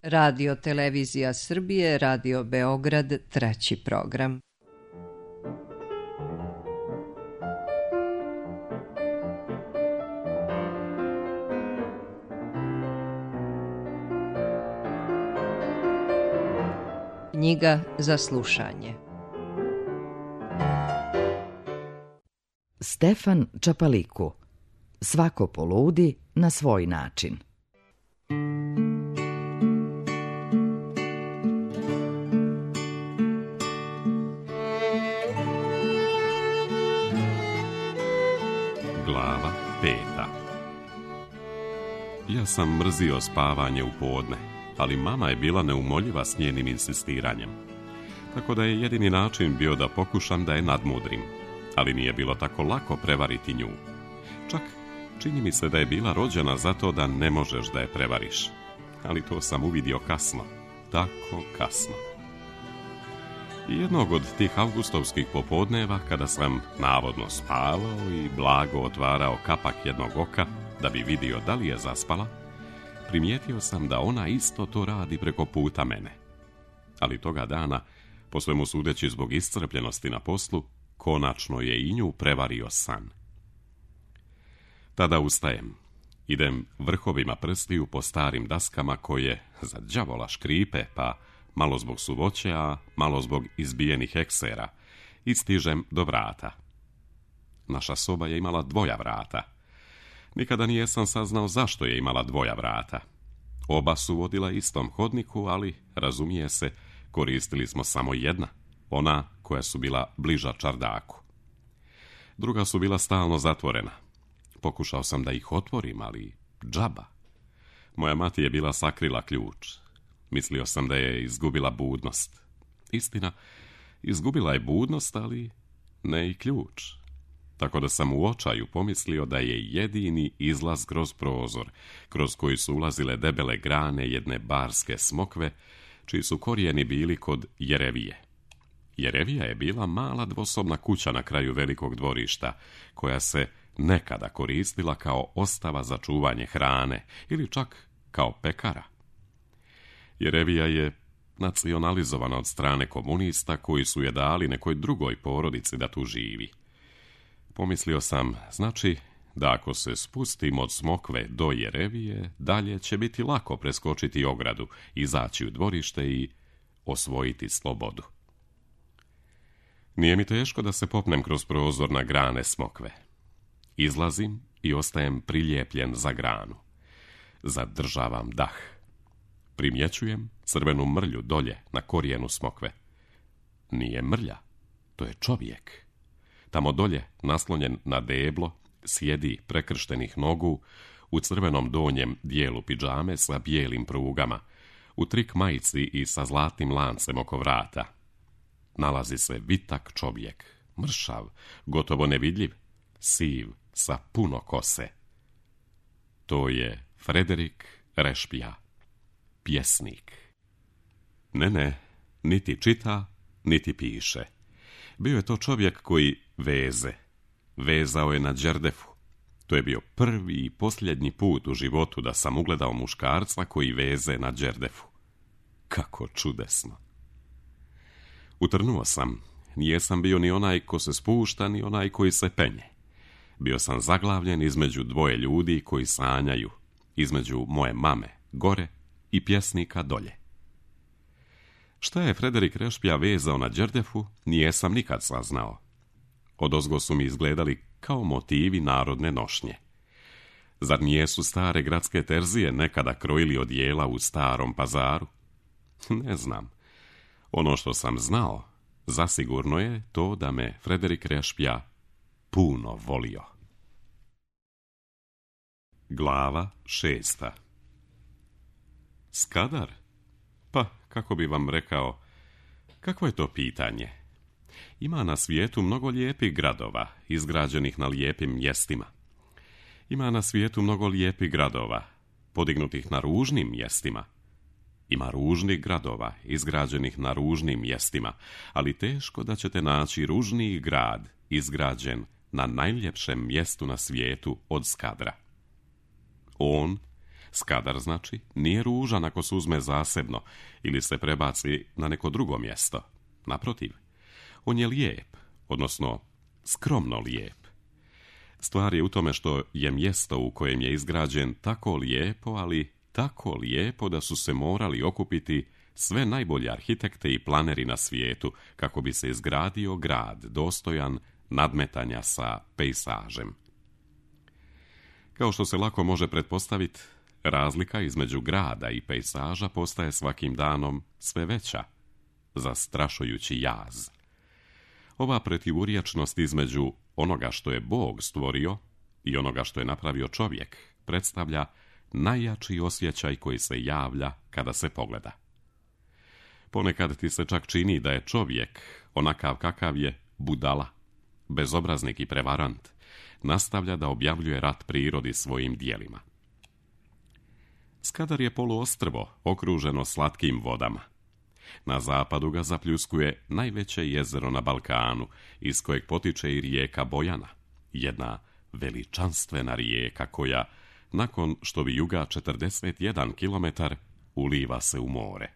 Radio Televizija Srbije, Radio Beograd, 3. program. Knjiga za slušanje. Stefan Čapaliku. Svako poludi na svoj način. Glava 5. Ja sam mrzio spavanje u podne, ali mama je bila neumoljiva s njenim insistiranjem. Tako da je jedini način bio da pokušam da je nadmudrim, ali nije bilo tako lako prevariti nju. Čak čini mi se da je bila rođena zato da ne možeš da je prevariš. Ali to sam uvidio kasno, tako kasno. I jednog od tih avgustovskih popodneva, kada sam navodno spavao i blago otvarao kapak jednog oka da bi vidio da li je zaspala, primijetio sam da ona isto to radi preko puta mene. Ali toga dana, po svemu sudeći zbog iscrpljenosti na poslu, konačno je i nju prevario san. Tada ustajem, idem vrhovima prstiju po starim daskama koje za đavola škripe, pa malo zbog suvoće, a malo zbog izbijenih eksera, i stižem do vrata. Naša soba je imala 2 vrata. Nikada nijesam saznao zašto je imala 2 vrata. Oba su vodila istom hodniku, ali, razumije se, koristili smo samo jedna, ona koja su bila bliža čardaku. Druga su bila stalno zatvorena. Pokušao sam da ih otvorim, ali džaba. Moja mati je bila sakrila ključ. Mislio sam da je izgubila budnost. Istina, izgubila je budnost, ali ne i ključ. Tako da sam u očaju pomislio da je jedini izlaz kroz prozor, kroz koji su ulazile debele grane jedne barske smokve, čiji su korijeni bili kod Jerevije. Jerevija je bila mala dvosobna kuća na kraju velikog dvorišta, koja se nekada koristila kao ostava za čuvanje hrane ili čak kao pekara. Jerevija je nacionalizovana od strane komunista koji su je dali nekoj drugoj porodici da tu živi. Pomislio sam, znači, da ako se spustim od smokve do Jerevije, dalje će biti lako preskočiti ogradu, izaći u dvorište i osvojiti slobodu. Nije mi teško da se popnem kroz prozor na grane smokve. Izlazim i ostajem prilijepljen za granu. Zadržavam dah. Primjećujem crvenu mrlju dolje na korijenu smokve. Nije mrlja, to je čovjek. Tamo dolje, naslonjen na deblo, sjedi prekrštenih nogu, u crvenom donjem dijelu pidžame sa bijelim prugama, u trik majici i sa zlatnim lancem oko vrata. Nalazi se vitak čovjek, mršav, gotovo nevidljiv, siv, sa puno kose. To je Frederik Rešpija, pjesnik. Ne, niti čita, niti piše. Bio je to čovjek koji vezao je na Đerdefu. To je bio prvi i posljednji put u životu da sam ugledao muškarca koji veze na Đerdefu. Kako čudesno. Utrnuo sam. Nijesam bio ni onaj ko se spušta, ni onaj koji se penje. Bio sam zaglavljen između 2 ljudi koji sanjaju, između moje mame gore i pjesnika dolje. Šta je Frederik Rešpija vezao na Đerdefu, nijesam nikad saznao. Odozgo su mi izgledali kao motivi narodne nošnje. Zar nijesu stare gradske terzije nekada krojili odijela u Starom Pazaru? Ne znam. Ono što sam znao, zasigurno je to da me Frederik Rešpija puno volio. Glava 6. Skadar? Pa, kako bi vam rekao, kakvo je to pitanje? Ima na svijetu mnogo lijepih gradova, izgrađenih na lijepim mjestima. Ima na svijetu mnogo lijepih gradova, podignutih na ružnim mjestima. Ima ružnih gradova, izgrađenih na ružnim mjestima, ali teško da ćete naći ružniji grad, izgrađen na najljepšem mjestu na svijetu od Skadra. On, Skadar, znači, nije ružan ako se uzme zasebno ili se prebaci na neko drugo mjesto. Naprotiv, on je lijep, odnosno skromno lijep. Stvar je u tome što je mjesto u kojem je izgrađen tako lijepo, ali tako lijepo da su se morali okupiti sve najbolje arhitekte i planeri na svijetu kako bi se izgradio grad dostojan nadmetanja sa pejsažem. Kao što se lako može pretpostaviti, razlika između grada i pejsaža postaje svakim danom sve veća, zastrašujući jaz. Ova protivurječnost između onoga što je Bog stvorio i onoga što je napravio čovjek predstavlja najjači osjećaj koji se javlja kada se pogleda. Ponekad ti se čak čini da je čovjek, onakav kakav je, budala, bezobraznik i prevarant, nastavlja da objavljuje rat prirodi svojim dijelima. Skadar je poluostrvo okruženo slatkim vodama. Na zapadu ga zapljuskuje najveće jezero na Balkanu, iz kojeg potiče i rijeka Bojana, jedna veličanstvena rijeka koja, nakon što vijuga 41 kilometar, uliva se u more.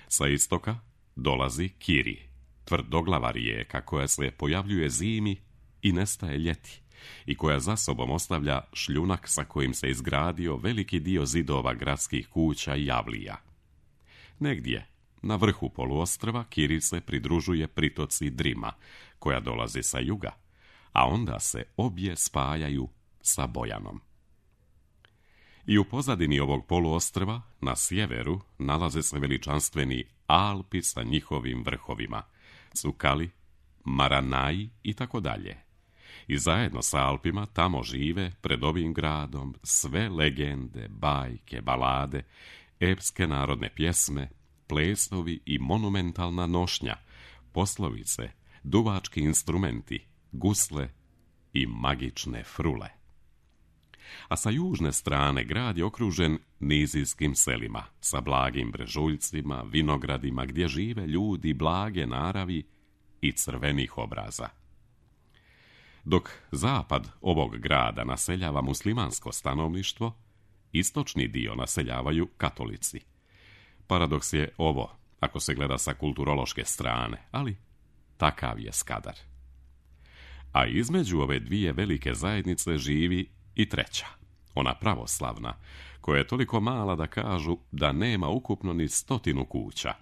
Sa istoka dolazi Kiri, tvrdoglava rijeka koja se pojavljuje zimi i nestaje ljeti i koja za sobom ostavlja šljunak sa kojim se izgradio veliki dio zidova gradskih kuća i javlija. Negdje, na vrhu poluostrva, Kiri se pridružuje pritoci Drima, koja dolazi sa juga, a onda se obje spajaju sa Bojanom. I u pozadini ovog poluostrva, na sjeveru, nalaze se veličanstveni Alpi sa njihovim vrhovima, Cukali, Maranaji i tako dalje. I zajedno sa Alpima tamo žive pred ovim gradom sve legende, bajke, balade, epske narodne pjesme, plesovi i monumentalna nošnja, poslovice, duvački instrumenti, gusle i magične frule. A sa južne strane grad je okružen nizijskim selima, sa blagim brežuljcima, vinogradima gdje žive ljudi blage naravi i crvenih obraza. Dok zapad ovog grada naseljava muslimansko stanovništvo, istočni dio naseljavaju katolici. Paradoks je ovo, ako se gleda sa kulturološke strane, ali takav je Skadar. A između ove dvije velike zajednice živi i treća, ona pravoslavna, koja je toliko mala da kažu da nema ukupno ni 100 kuća.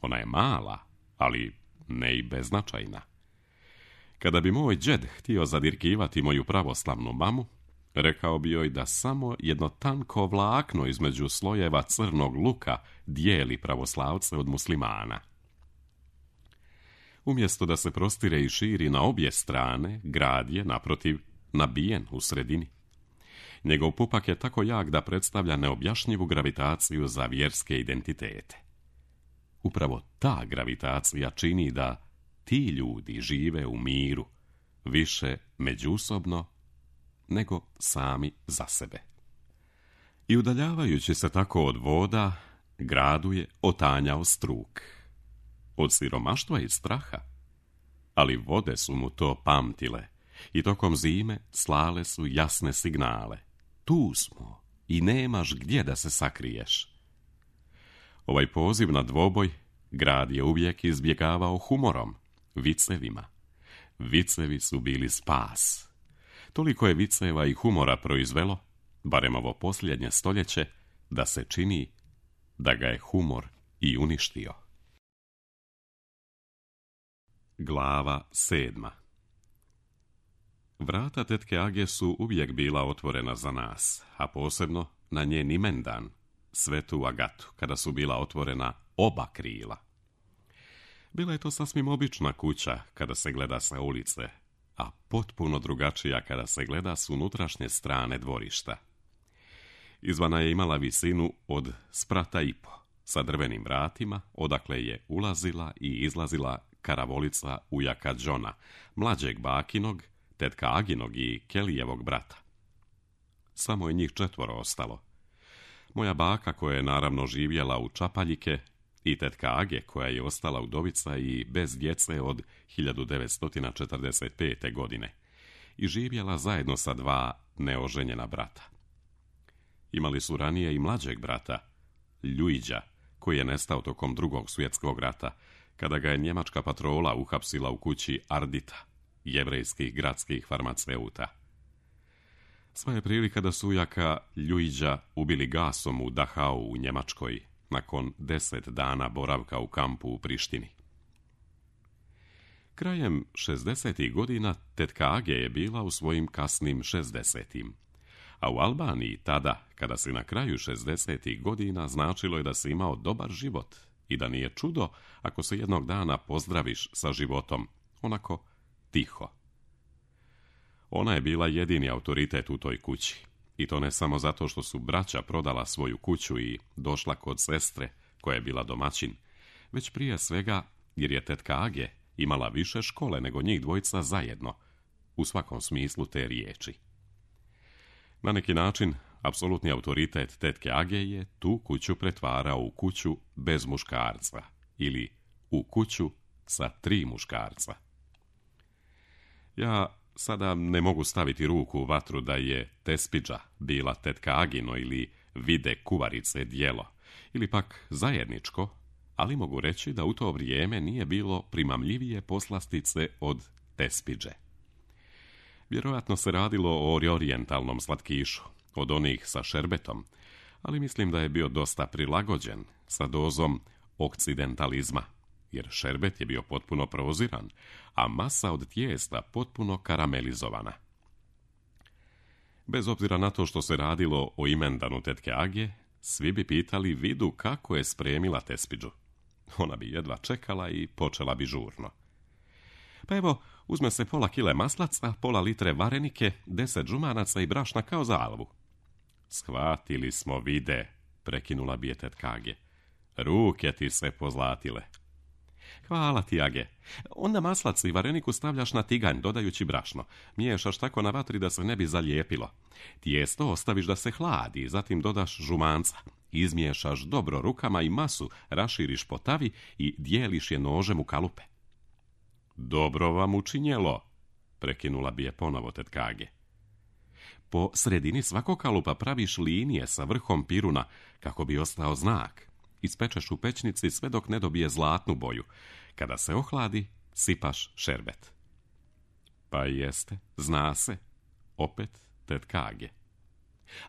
Ona je mala, ali ne i beznačajna. Kada bi moj džed htio zadirkivati moju pravoslavnu mamu, rekao bi joj da samo jedno tanko vlakno između slojeva crnog luka dijeli pravoslavce od muslimana. Umjesto da se prostire i širi na obje strane, grad je, naprotiv, nabijen u sredini. Njegov pupak je tako jak da predstavlja neobjašnjivu gravitaciju za vjerske identitete. Upravo ta gravitacija čini da ti ljudi žive u miru, više međusobno nego sami za sebe. I udaljavajući se tako od voda, gradu je otanjao struk. Od siromaštva i straha, ali vode su mu to pamtile i tokom zime slale su jasne signale. Tu smo i nemaš gdje da se sakriješ. Ovaj poziv na dvoboj grad je uvijek izbjegavao humorom, vicevima. Vicevi su bili spas. Toliko je viceva i humora proizvelo, barem ovo posljednje stoljeće, da se čini da ga je humor i uništio. Glava 7. Vrata tetke Age su uvijek bila otvorena za nas, a posebno na njen imendan, Svetu Agatu, kada su bila otvorena oba krila. Bila je to sasvim obična kuća kada se gleda sa ulice, a potpuno drugačija kada se gleda s unutrašnje strane dvorišta. Izvana je imala visinu od 1,5 sa drvenim vratima, odakle je ulazila i izlazila karavolica ujaka Džona, mlađeg bakinog, tetka Aginog i Kelijevog brata. Samo je njih 4 ostalo. Moja baka, koja je naravno živjela u Čapaljike, i tetka Age, koja je ostala udovica i bez djece od 1945. godine i živjela zajedno sa 2 neoženjena brata. imali su ranije i mlađeg brata, Ljuiđa, koji je nestao tokom Drugog svjetskog rata, kada ga je njemačka patrola uhapsila u kući Ardita, jevrejskih gradskih farmaceuta. Sva je prilika da su ujaka Ljuiđa ubili gasom u Dachau u Njemačkoj, nakon 10 dana boravka u kampu u Prištini. Krajem 60. godina tetka Age je bila u svojim kasnim 60. A u Albaniji tada, kada si na kraju 60. godina, značilo je da si imao dobar život i da nije čudo ako se jednog dana pozdraviš sa životom, onako tiho. Ona je bila jedini autoritet u toj kući. I to ne samo zato što su braća prodala svoju kuću i došla kod sestre, koja je bila domaćin, već prije svega jer je tetka Age imala više škole nego njih dvojica zajedno, u svakom smislu te riječi. Na neki način, apsolutni autoritet tetke Age je tu kuću pretvarao u kuću bez muškarca ili u kuću sa 3 muškarca. Ja sada ne mogu staviti ruku u vatru da je Tespidža bila tetka Agino ili vide kuvarice djelo, ili pak zajedničko, ali mogu reći da u to vrijeme nije bilo primamljivije poslastice od Tespidže. Vjerojatno se radilo o orijentalnom slatkišu, od onih sa šerbetom, ali mislim da je bio dosta prilagođen sa dozom okcidentalizma, jer šerbet je bio potpuno proziran, a masa od tijesta potpuno karamelizovana. Bez obzira na to što se radilo o imendanu tetke Age, svi bi pitali Vidu kako je spremila Tespidžu. Ona bi jedva čekala i počela bi žurno. Pa evo, uzme se pola kile maslaca, pola litre varenike, 10 žumanaca i brašna kao za alvu. Shvatili smo, Vide, prekinula bi je tetka Age. Ruke ti se pozlatile. Hvala ti, Age. Onda maslac i vareniku stavljaš na tiganj, dodajući brašno. Miješaš tako na vatri da se ne bi zalijepilo. Tijesto ostaviš da se hladi, zatim dodaš žumanca. Izmiješaš dobro rukama i masu raširiš po tavi i dijeliš je nožem u kalupe. Dobro vam učinjelo, prekinula bi je ponovo tetka Age. Po sredini svakog kalupa praviš linije sa vrhom piruna kako bi ostao znak. Ispečeš u pećnici sve dok ne dobije zlatnu boju. Kada se ohladi, sipaš šerbet. Pa jeste, zna se, opet tetka Age.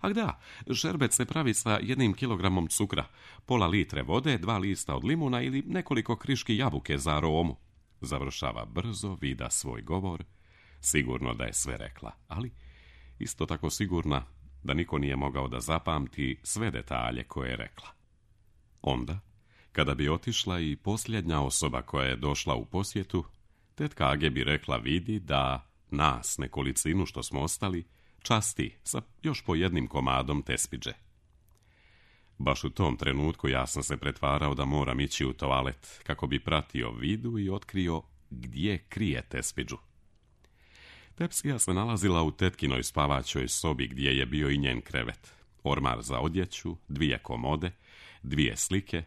A da, šerbet se pravi sa 1 kilogramom cukra, pola litre vode, 2 lista od limuna ili nekoliko kriški jabuke za aromu. Završava brzo Vida svoj govor, sigurno da je sve rekla, ali isto tako sigurna da niko nije mogao da zapamti sve detalje koje je rekla. Onda, kada bi otišla i posljednja osoba koja je došla u posjetu, tetka Age bi rekla Vidi da nas, nekolicinu što smo ostali, časti sa još po 1 komadom Tespidže. Baš u tom trenutku ja sam se pretvarao da moram ići u toalet kako bi pratio Vidu i otkrio gdje krije Tespidžu. Tepsija se nalazila u tetkinoj spavaćoj sobi gdje je bio i njen krevet, ormar za odjeću, 2 komode, 2 slike,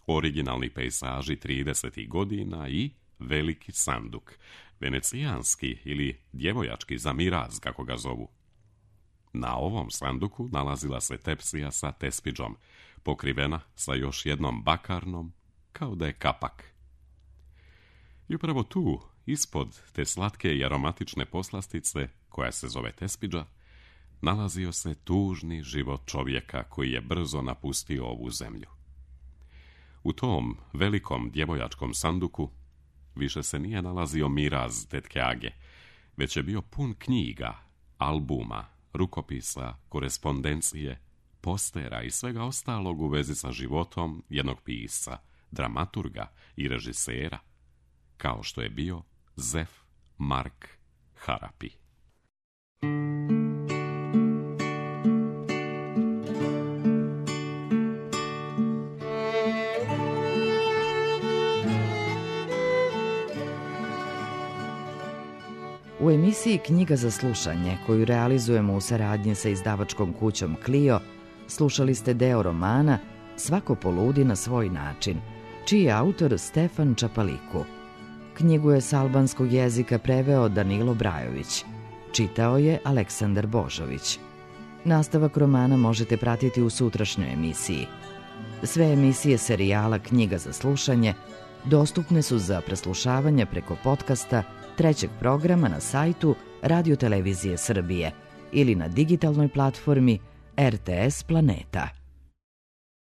originalni pejsaži 30. godina i veliki sanduk, venecijanski ili djevojački za miraz, kako ga zovu. Na ovom sanduku nalazila se Tepsija sa Tespidžom, pokrivena sa još jednom bakarnom, kao da je kapak. I upravo tu, ispod te slatke i aromatične poslastice, koja se zove Tespidža, nalazio se tužni život čovjeka koji je brzo napustio ovu zemlju. U tom velikom djevojačkom sanduku više se nije nalazio miraz tetke Age, već je bio pun knjiga, albuma, rukopisa, korespondencije, postera i svega ostalog u vezi sa životom jednog pisca, dramaturga i režisera, kao što je bio Zef Mark Harapi. U emisiji Knjiga za slušanje, koju realizujemo u saradnji sa izdavačkom kućom Clio, slušali ste deo romana Svako poludi na svoj način, čiji je autor Stefan Čapaliku. Knjigu je s albanskog jezika preveo Danilo Brajović. Čitao je Aleksandar Božović. Nastavak romana možete pratiti u sutrašnjoj emisiji. Sve emisije serijala Knjiga za slušanje dostupne su za preslušavanje preko podcasta trećeg programa na sajtu Radio Televizije Srbije ili na digitalnoj platformi RTS Planeta.